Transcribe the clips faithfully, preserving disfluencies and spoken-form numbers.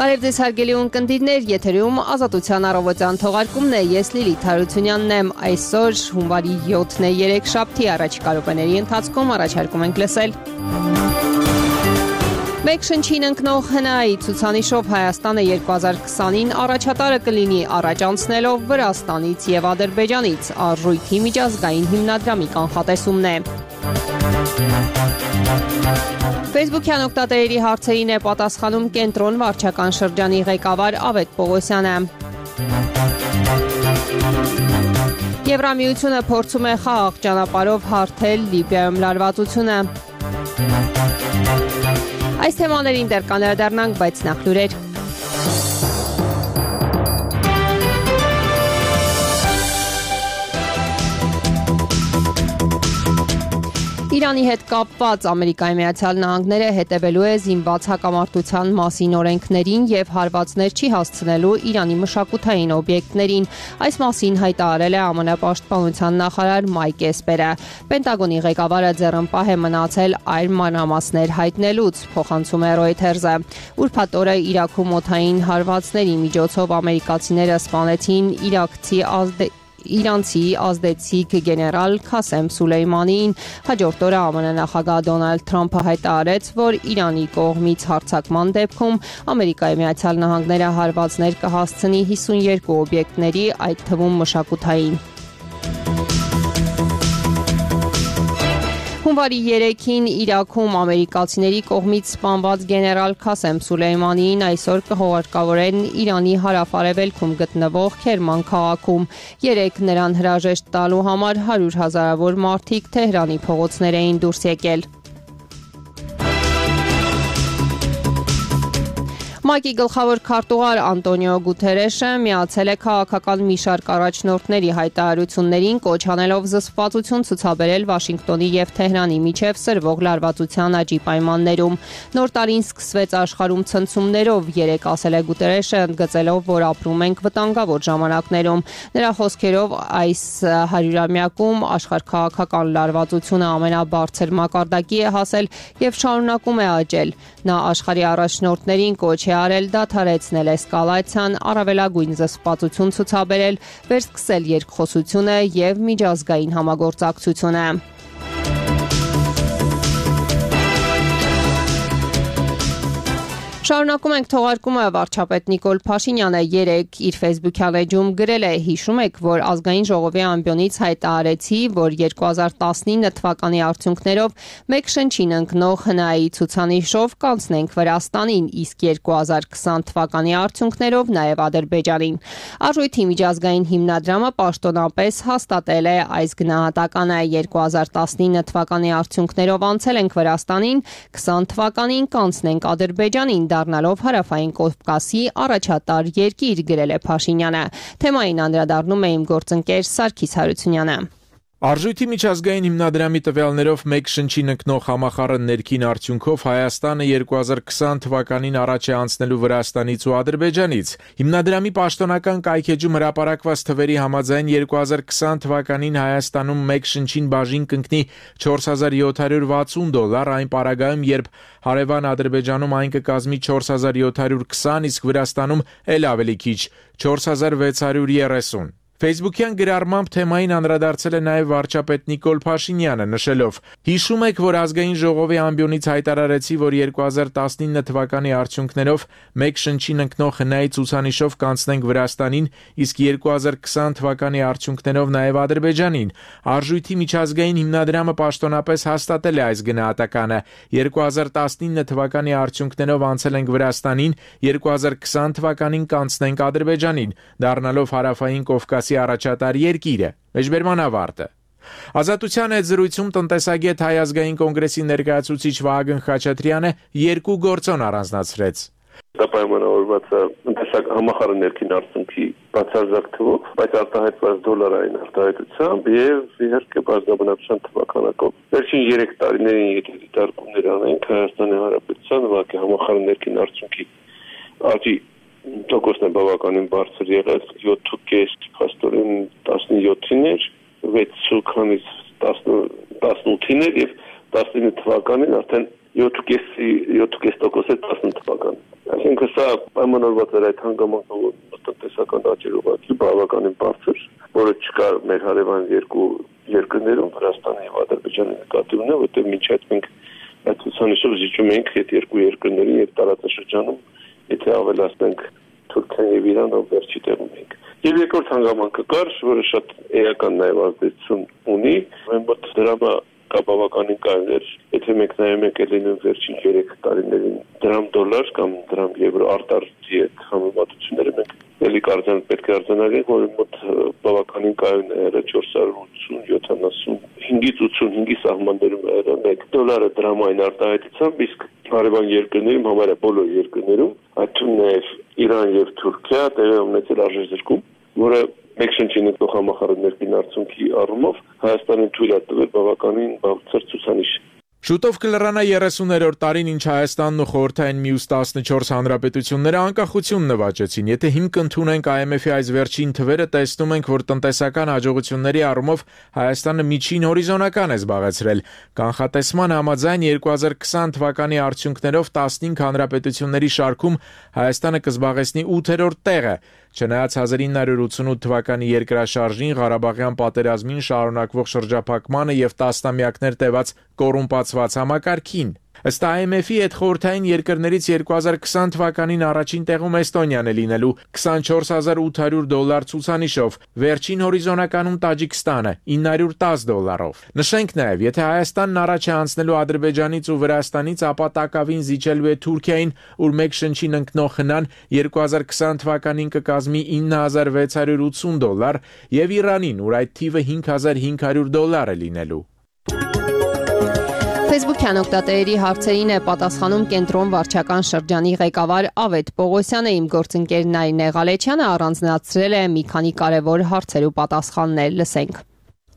Բարև ձեզ հարգելի ունկնդիրներ, եթերում Ազատության առավոտյան թողարկումն է, ես Լիլիթ Հարությունյանն եմ, այսօր հունվարի յոթն է, երեքշաբթի, առաջիկա րոպեների ընթացքում առաջարկում ենք լսել. Մեկ շնչին ընկնող հնայի ցուցանիշով Հայաստանը երկու հազար քսանին առաջատարը կլինի առաջ անցնելով Վրաստանից և Ադրբեջանից, Արժույթի միջազգային հիմնադրամի կանխատեսումն է. Facebook-յան օգտատերերի հարցերին է պատասխանում Կենտրոն վարչական շրջանի ղեկավար Ավետ Պողոսյանը. Եվրամիությունը փորձում է խաղաղ ճանապարհով հարթել Լիբիայում լարվածությունը. Այս թեմաներին դեռ կանդրադառնանք, բայց նախ լուրեր. Իրանի հետ կապված Ամերիկայի Միացյալ Նահանգները հետևելու է զինված հակամարտության մասին օրենքներին և հարվածներ չի հասցնելու Իրանի մշակութային օբյեկտներին. Այս մասին հայտարարել է ԱՄՆ պաշտպանության նախարար Մայք Էսպերը. Պենտագոնի ղեկավարը ձեռնպահ է մնացել այլ մանրամասներ հայտնելուց, փոխանցում է Reuters-ը. Ուրբաթ օրը Իրաքում օդային հարվածների միջոցով ամերիկացիները սպանեցին իրաքցի ազդե Իրանցի ազդեցիկ գեներալ Քասեմ Սուլեյմանիին. Հաջորդ օրը ԱՄՆ նախագահ Դոնալդ Թրամփը հայտարարեց, որ Իրանի կողմից հարձակման դեպքում Ամերիկայի Միացյալ Նահանգները հարվածներ կհասցնի հիսունյոթ օբյեկտների, այդ թվում մշակութային. Հունվարի երեքին Իրաքում ամերիկացիների կողմից սպանված գեներալ Քասեմ Սուլեյմանիին այսօր կհուղարկավորեն Իրանի հարավ-արևելքում գտնվող Քերման քաղաքում. Երեկ նրան հրաժեշտ տալու համար հարյուր հազարավոր մարդիկ Թեհրանի փողոցներ էին դուրս եկել. ՄԱԿ-ի գլխավոր քարտուղար Անտոնիո Գուտերեշը միացել է քաղաքական մի շարք առաջնորդների հայտարարություններին, կոչ անելով զսպվածություն ցուցաբերել Վաշինգտոնի և Թեհրանի միջև սրվող լարվածության աճի պայմաններում. Նոր տարին սկսվեց աշխարհում ցնցումներով, երեկ ասել է Գուտերեշը, ընդգծելով, որ ապրում ենք վտանգավոր ժամանակներում. Նրա խոսքերով այս հարյուրամյակում աշխարհաքաղաքական լարվածությունը ամենաբարձր մակարդակի է հասել և շարունակում է աճել. Նա աշխարհի առաջնորդներին կոչ է արել դադարեցնել էսկալացիան, առավելագույն զսպվածություն ցուցաբերել, վերսկսել երկխոսությունը և միջազգային համագործակցությունը. Շարունակում ենք թողարկումը. վարչապետ Նիկոլ Փաշինյանը երեկ իր Facebook-յան էջում գրել է. հիշում եք, որ ազգային ժողովի ամբիոնից հայտարարեցի, որ երկու հազար տասնինը թվականի արդյունքներով մեկ շնչին ընկնող հնայի ցուցանիշով կանցնենք Վրաստանին, իսկ երկու հազար քսան թվականի արդյունքներով նաև Ադրբեջանին. Արժույթի միջազգային հիմնադրամը պաշտոնապես հաստատել է այս գնահատականը. երկու հազար տասնինը թվականի արդյունքներով անցել ենք Վրաստանին, քսան թվականին կանցնենք Ադրբեջանին, դառնալով Հարավային Կովկասի առաջատար երկիր, գրել է Փաշինյանը. Թեմային անդրադառնում է իմ գործընկեր Սարգիս Հարությունյանը. Արժույթի միջազգային հիմնադրամի տվյալներով մեկ շնչին ընկնող համախառն ներքին արդյունքով Հայաստանը երկու հազար քսան թվականին առաջ է անցնելու Վրաստանից ու Ադրբեջանից. Հիմնադրամի պաշտոնական կայքէջում հրապարակված թվերի համաձայն երկու հազար քսան թվականին Հայաստանում մեկ շնչին բաժին կընկնի չորս հազար յոթ հարյուր վաթսուն դոլար, այն պարագայում, երբ հարևան Ադրբեջանում այն կկազմի չորս հազար յոթ հարյուր քսան, իսկ Վրաստանում էլ ավելի քիչ չորս հազար վեց հարյուր երեսուն. Facebook-յան գրառմամբ թեմային անդրադարձել է նաև վարչապետ Նիկոլ Փաշինյանը, նշելով. հիշում եք, որ ազգային ժողովի ամբիոնից հայտարարեցի, որ երկու հազար տասնինը թվականի արդյունքներով մեկ շնչին ընկնող հնայի ցուցանիշով կանցնենք Վրաստանին, իսկ երկու հազար քսան թվականի արդյունքներով նաև Ադրբեջանին. Արժույթի միջազգային հիմնադրամը պաշտոնապես հաստատել է այս գնահատականը. երկու հազար տասնինը թվականի արդյունքներով անցել ենք Վրաստանին, երկու հազար քսան թվականին կանցնենք Ադրբեջանին, դառնալով Հարավային Կովկասի առաջատար երկիրը. Մեջբերման ավարտը. Ազատության հետ զրույցում տնտեսագետ Հայ ազգային կոնգրեսի ներկայացուցիչ Վահագն Խաչատրյանը երկու գործոն առանձնացրեց. Դա պայմանավորված է համախառն ներքին արդյունքի բացարձակ թվով, բայց արտահայտված դոլարային արտահայտությամբ եւ իհարկե բազմաբնակության թվականակով. Վերջին երեք տարիներին եթե դիտարկումներ անենք Հայաստանի Հանրապետության ուղղակի համախառն ներքին արդյունքի աճի տոկոսն է բավականին բարձր եղել, յոթ կես փաստորեն տասնյոթին էր, վեց քանից տասնութին էր եւ տասնինը թվականին արդեն յոթ տոկոս է տասնութ թվականին։ Այսինքն սա պայմանավորված էր այդ հանգամանքով տնտեսական աճի ուղղակի բավականին բարձր, որը չկար մեր հարևան երկու երկրներում, Վրաստանի եւ Ադրբեջանի նկատի ունեն, որտեղ մինչ այդ մենք այդ ցուցանիշով զիջում ենք այդ երկու երկրներին եւ տարածաշրջանում, եթե ավելացնենք Թուրքիան եւ Իրանը, վերջի տեղում ենք։ Եվ երկրորդ հանգամանքը կար, որը շատ էական նաեւ ազդեցություն ունի, մենք մոտ դրամը բավականին կարևոր էր, եթե մենք նայում ենք ելույթ վերջին երեք տարիներին դրամ դոլար կամ դրամ եվրո արտարժի հետ համեմատությունները մենք ելի կարծեն պետք է արձանագրենք, որ մոտ բավականին կարևոր է չորս հարյուր ութսուն յոթանասունհինգից ութսունհինգի սահմաններում է մեկ դոլարը դրամային արտահայտությամբ, իսկ հարևան երկրներում, համարյա բոլոր երկրներում, այդ թվում նաև Իրան եւ Թուրքիա տեղի ունեցել արժեզրկում, որը մեկ շնչի նկատող համախառն ներքին արդյունքի առումով Հայաստանին թույլ է տվել բավականին բարձր ցուցանիշ։ Շուտով կլրանա երեսուներորդ տարին, ինչ Հայաստանն ու Խորհրդային Միուս տասնչորս հանրապետությունները անկախություն նվաճեցին։ Եթե հիմք ընդունենք I M F-ի այս վերջին թվերը, տեսնում ենք, որ տնտեսական հաջողությունների առումով Հայաստանը միջին հորիզոնական է զբաղեցրել։ Կանխատեսման համաձայն երկու հազար քսան թվականի արդյունքներով տասնհինգ հանրապետությունների շարքում Հայաստանը կզբաղեցնի ութերորդ տեղը։ Չնայած հազար ինը հարյուր ութսունութ թվականի երկրաշարժին, Ղարաբաղյան պատերազմին, շարունակվող շրջափակմանը եւ տասնամյակներ տևած կոռումպացված համակարգին։ Ըստ I M F-ի հետ խորհրդային երկրներից երկու հազար քսան թվականին առաջին տեղում Էստոնիան է լինելու քսանչորս հազար ութ հարյուր դոլար ցուցանիշով, վերջին հորիզոնականում Տաջիկստանը ինը հարյուր տասը դոլարով։ Նշենք նաև, եթե Հայաստանն առաջ է անցնելու Ադրբեջանից ու Վրաստանից, ապա տակավին զիջելու է Թուրքիային, ուր մեկ շնչին ընկնող հնան երկու հազար քսան թվականին կկազմի ինը հազար վեց հարյուր ութսուն դոլար եւ Իրանին, ուր այդ թիվը հինգ հազար հինգ հարյուր դոլար է լինելու։ Facebook-յան օգտատերերի հարցերին է պատասխանում Կենտրոն վարչական շրջանի ղեկավար Ավետ Պողոսյանը, իմ գործընկեր Նարինե Ղալեչյանը առանձնացրել է մի քանի կարևոր հարցեր ու պատասխաններ, լսենք։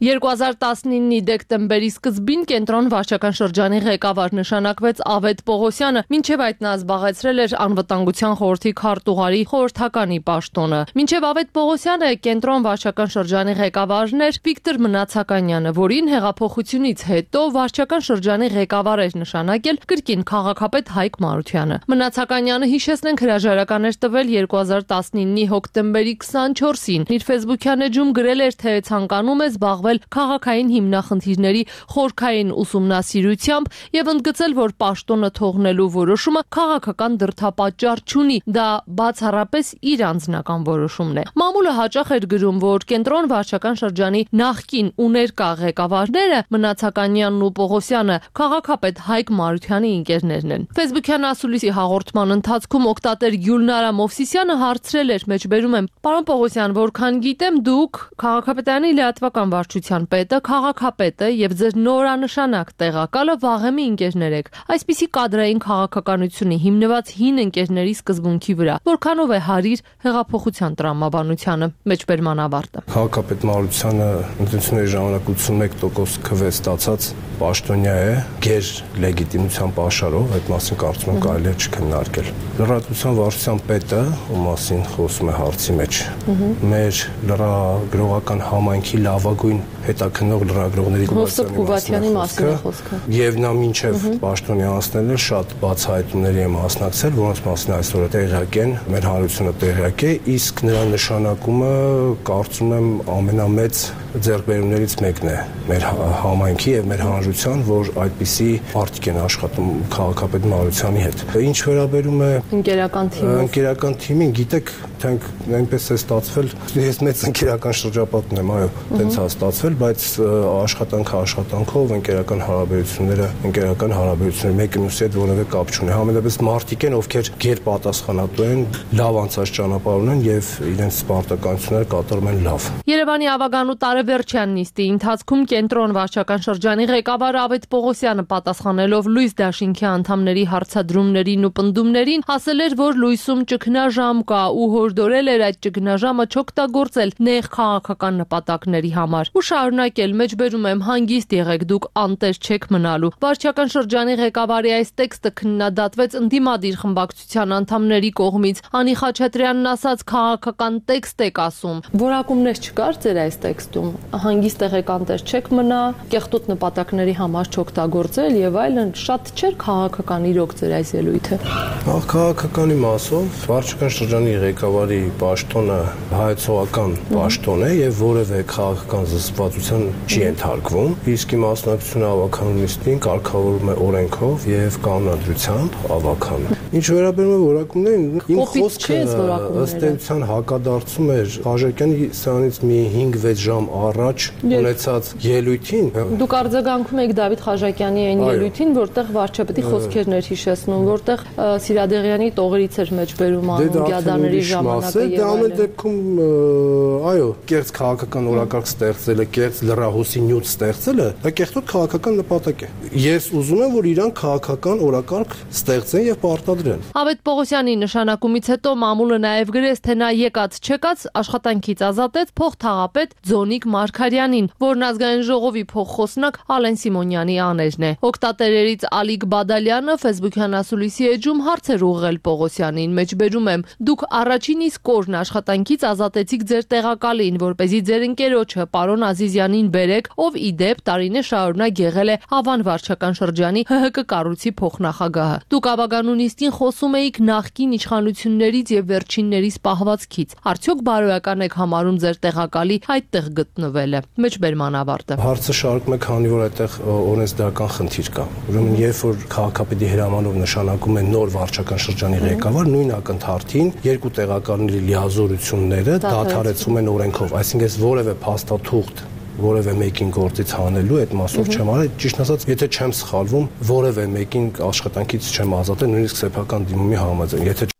երկու հազար տասնինի դեկտեմբերի սկզբին Կենտրոն վարչական շրջանի ղեկավար նշանակվեց Ավետ Պողոսյանը, մինչև այդ նա զբաղեցրել էր Անվտանգության խորհրդի քարտուղարի խորհրդականի պաշտոնը։ Մինչև Ավետ Պողոսյանը Կենտրոն վարչական շրջանի ղեկավարն էր Վիկտոր Մնացականյանը, որին հեղափոխությունից հետո վարչական շրջանի ղեկավար էր նշանակել կրկին քաղաքապետ Հայկ Մարությանը։ Մնացականյանը, հիշեցնենք, հրաժարական էր տվել երկու հազար տասնինի հոկտեմբերի քսանչորսին։ Իր Facebook-յան էջում գրել էր, թե ցանկանում է զբաղվել քաղաքային հիմնախնդիրների խորքային ուսումնասիրությամբ եւ ընդգծել, որ պաշտոնը թողնելու որոշումը քաղաքական դրդապատճառ չունի, դա բացառապես իր անձնական որոշումն է։ Մամուլը հաճախ էր գրում, որ Կենտրոն վարչական շրջանի նախկին ու ներկա ղեկավարները Մնացականյանն ու Պողոսյանը քաղաքապետ Հայկ Մարությանի ընկերներն են։ Facebook-յան ասուլիսի հաղորդման ընթացքում օգտատեր Գյուլնարա Մովսիսյանը հարցրել էր, մեջբերում եմ, պարոն Պողոսյան, որքան գիտեմ, դուք քաղաքապետարանի լիատվական վարչության պետը, քաղաքապետը եւ ձեր նորանշանակ տեղակալը վաղեմի ընկերներ եք։ Այսպիսի կադրային քաղաքականությունի հիմնված հին ընկերների սկզբունքի վրա որքանով է հարիր հեղափոխության տրամաբանությանը, մեջբերման ավարտը։ Քաղաքապետ Մարությանը ընտրությունների ժամանակ ութսունմեկ տոկոս քվե ստացած պաշտոնյա է, գեր լեգիտիմության պաշարով, այդ մասին կարծում եմ կարելի է չքննարկել։ Լրատվության վարչության պետը, ում մասին խոսում է հարցի մեջ, մեր լրագրողական համայնքի լավագույն հետաքննող լրագրողների Գուվատյանի մասին է խոսքը։ Եվ նա մինչև պաշտոնի անցնելը շատ բացահայտումների է մասնակցել, որոնց մասին այսօր տեղյակ են, մեր հանրությունը տեղյակ է, իսկ նրա նշանակումը կարծում եմ ամենամեծ ձեռքբերումներից մեկն է մեր համայնքի եւ մեր հանրության, որ այդպիսի արտիք են աշխատում քաղաքապետ Մարությանի հետ։ Ինչ վերաբերում է ընկերական թիմին, ընկերական թիմին, գիտեք, թենք այնպես է ստացվել, ես մեծ ընկերական շրջապատ ունեմ, այո, տենց է ստացվել, բայց աշխատանքը աշխատանքով, ընկերական հարաբերությունները, ընկերական հարաբերությունները մեկը մյուսի հետ որևէ կապ չունի։ Համենայնպես մարդիկ են, ովքեր գերպատասխանատու են, լավ անցած ճանապարհ ունեն եւ իրենց սպարտականությունները կատարում են լավ։ Երևանի ավագանու տարեվերջյան նիստի ընթացքում Կենտրոն վարչական շրջանի ղեկավար Ավետ Պողոսյանը պատասխանելով Լույս Դաշինքի անդամների հարցադրումներին ու պնդումներին ասել էր, որ լույսում ճգնաժամ կա ու հորդորել էր այդ ճգնաժամը չօգտագործել նեղ քաղաքական նպատակների համար։ Ուշ շարունակել, մեջբերում եմ, հանգիստ եղեք, դուք անտեր չեք մնալու։ Վարչական շրջանի ղեկավարի այս տեքստը քննադատվեց ընդդիմադիր խմբակցության անդամների կողմից։ Անի Խաչատրյանն ասաց, քաղաքական տեքստ եք ասում։ Որակումներ չկար ձեր այս տեքստում։ Հանգիստ եղեք, անտեր չեք մնա, կեղտոտ նպատակների համար չօգտագործել եւ այլն, շատ չէր քաղաքական իրոք ձեր այս ելույթը։ Ահ, քաղաքականի մասով վարչական շրջանի ղեկավարի պաշտոնը հայեցողական պաշտոն է եւ որևէ քաղաքական զսպվածության չի ենթարկվում, իսկ մասնակցությունը ավականունիստին կարգավորվում է օրենքով եւ կանոնադրությամբ ավական։ Ինչ վերաբերում է որակումներին, իմ խոսքը ըստ էության հակադարձում էր Խաչատրյանի սրանից մի հինգ վեց ժամ առաջ ունեցած ելույթին։ Դուք արձագանքում եք Դավիթ Խաչատրյանի այն ելույթին, որտեղ վարչապետի խոսքերն էր հիշեցնում, որտեղ Սիրադեղյանի տողերից էր մեջբերում Ալունգյադաների ժամանակը եւ այլն։ Դե ամեն դեպքում, այո, կեղծ քաղաքական օրակարգ ստեղծելը, կեղծ լրահոսի նյութ ստեղծելը, դա կեղտոտ քաղաքական նպատակ է։ Ես ուզում եմ, որ իրան քաղաքական օրակարգ ստեղծեն եւ պարտադրեն։ Ավետ Պողոսյանի նշանակումից հետո մամուլը նաեւ գրեց, թե նա եկած չեկած աշխատանքից ազատեց փոխթաղապետ Ձոնիկ Մարգարյանին, որն ազգային ժողովի փոխխոսնակ Ալեն Սիմոնյանի աներն է։ Օկտատերերից Ալիկ Բադալյանը Facebook-յան ասուլիսի էջում հարցեր ուղղել Պողոսյանին, մեջբերում եմ, դուք առաջին իսկ օրն աշխատանքից ազատեցիք ձեր տեղակալին, որպեսզի ձեր ընկերոջը պարոն Ազիզյանին բերեք, ով ի դեպ տարիներ շարունակ եղել է Հավան վարչական շրջանի Հ Հ Կ կառույցի փոխնախագահը։ Դուք ավականունիստին խոսում էիք նախկին իշխանություններից եւ վերջիններից պահվածքից։ Արդյոք բարոյական եք համարում ձեր տեղակալի այդտեղ գտնվելը։ Մեջբերման ավարտը։ Հարցը շարունակում է, քանի որ այդտեղ օրենսդրական խնդիր կա։ Ուրեմն երբ որ քաղաքապետի հրամանով նշանակում է նոր վարչական շրջանի ղեկավար, նույն ակնթարթին երկու տեղակալների լիազորությունները դադարեցում են օրենքով, այսինքն որևէ փաստաթուղթ որևէ մեկին գործից հանելու այդ մասով չեմ արել, ճիշտ ասած, եթե չեմ սխալվում, որևէ մեկին աշխատանքից չեմ ազատել, նույնիսկ սեփական դիմումի համաձայն, եթե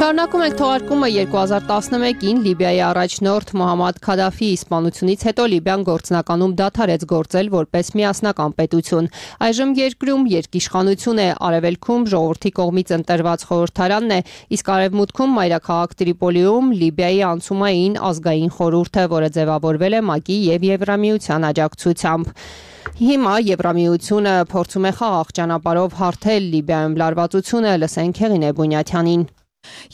Շարունակում ենք թողարկումը երկու հազար տասնմեկին Լիբիայի առաջնորդ Մոհամմադ Քադաֆիի սպանությունից հետո Լիբիան գործնականում դադարեց գործել որպես միասնական պետություն։ Այժմ երկրում երկիշխանություն է, արևելքում ժողովրդի կողմից ընտրված խորհրդարանն է, իսկ արևմուտքում մայրաքաղաք Տրիպոլիում Լիբիայի անցումային ազգային խորհուրդը, որը ձևավորվել է ՄԱԿ-ի եւ Եվրամիության աջակցությամբ։ Հիմա Եվրամիությունը փորձում է խաղաղ ճանապարհով հարթել Լիբիայում լարվածությունը, լսենք Հեղինե Բունյաթյանին։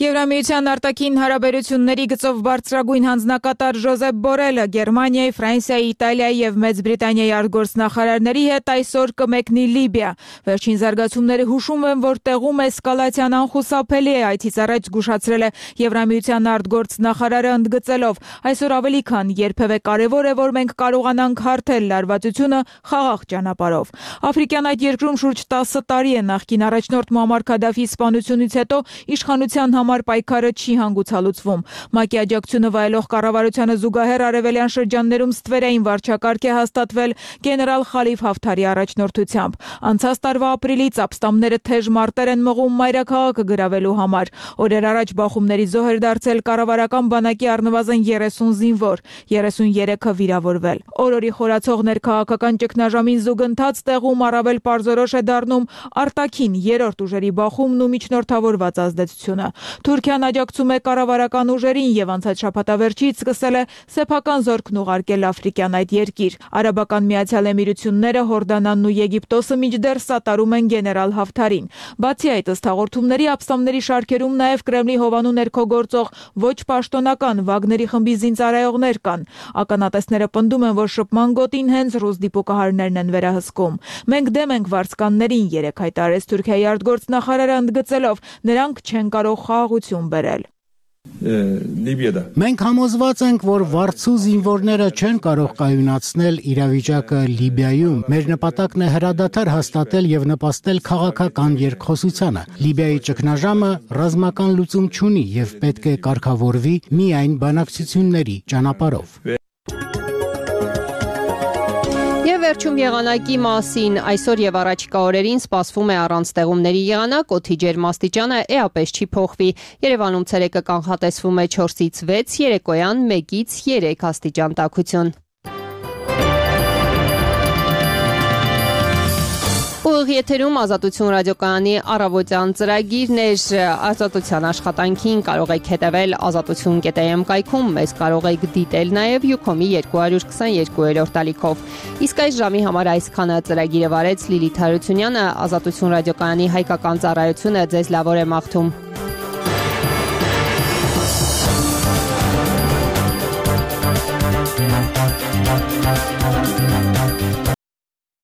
Եվրամիության արտաքին հարաբերությունների գծով բարձրագույն հանձնակատար Ժոզեփ Բորելը Գերմանիայի, Ֆրանսիայի, Իտալիայի եւ Մեծ Բրիտանիայի արտգործնախարարների հետ այսօր կմեկնի Լիբիա։ Վերջին զարգացումները հուշում են, որ տեղում էսկալացիան անխուսափելի է, այդից առաջ զգուշացրել է Եվրամիության արտգործնախարարը ընդգծելով. այսօր ավելի քան երբևէ կարևոր է, որ մենք կարողանանք հարթել լարվածությունը խաղաղ ճանապարհով։ Աֆրիկյան այդ երկրում շուրջ տասը տարի է նախկին առաջնորդ Մուամմար Քադաֆիի սպանությունից հետո իշխանության համար պայքարը չի հանգուցալուծվում։ ՄԱԿ-ի աջակցությունը վայելող կառավարությանը զուգահեռ արևելյան շրջաններում ստվերային վարչակարգ է հաստատվել գեներալ Խալիֆ Հաֆթարի առաջնորդությամբ։ Անցած տարվա ապրիլից ապստամբները թեժ մարտեր են մղում մայրաքաղաքը գրավելու համար։ Օրեր առաջ բախումների զոհ էր դարձել կառավարական բանակի առնվազն երեսուն զինվոր, երեսուներեքը վիրավորվել։ Օրորի խորացող ներքաղաքական ճգնաժամին զուգընթաց տեղում առավել պարզորոշ է դառնում արտաքին երրորդ ուժերի բախումն ու միջնորդավորված ազդեցությունը։ Թուրքիան աջակցում է կառավարական ուժերին եւ անցած շաբաթավերջից սկսել է սեփական զորքն ուղարկել աֆրիկյան այդ երկիր։ Արաբական Միացյալ Էմիրությունները, Հորդանանն ու Եգիպտոսը մինչդեռ սատարում են գեներալ Հաֆթարին։ Բացի այդ, ըստ հաղորդումների, ապստամբների շարքերում նաեւ Կրեմլի հովանու ներքո գործող ոչ պաշտոնական Վագների խմբի զինծառայողներ կան։ Ականատեսները պնդում են, որ շփման գոտին հենց ռուս դիպուկահարներն են վերահսկում։ Մենք դեմ ենք վարձկաններին, երեք հայտարարեց Թուրքիայի արտգործնախարարը ընդգծելով, նրանք չեն կարող խաղաղություն բերել։ Մենք համոզված ենք, որ վարձու զինվորները չեն կարող կայունացնել իրավիճակը Լիբիայում։ Մեր նպատակն է հրադադար հաստատել եւ նպաստել քաղաքական երկխոսությանը։ Լիբիայի ճգնաժամը ռազմական լուծում չունի եւ պետք է կարգավորվի միայն բանակցությունների ճանապարհով։ Եվ վերջում եղանակի մասին այսօր եւ առաջիկա օրերին սպասվում է առանց տեղումների եղանակ, օդի ջերմաստիճանը էապես չի փոխվի։ Երևանում ցերեկը կանխատեսվում է չորսից վեց, երեկոյան մեկից երեք աստիճան տաքություն։ Ուղիղ եթերում Ազատություն ռադիոկայանի առավոտյան ծրագիրն էր ազատության աշխատանքին կարող եք հետևել ազատություն կետ am կայքում, մեզ կարող եք դիտել նաև Յուքոմի երկու քսաներկու ալիքով։ Իսկ այս ժամի համար այսքանը ծրագիրը վարեց Լիլիթ Հարությունյանը, Ազատություն ռադիոկայանի հայկական ծառայությունը ձեզ լավ օր է մաղթում։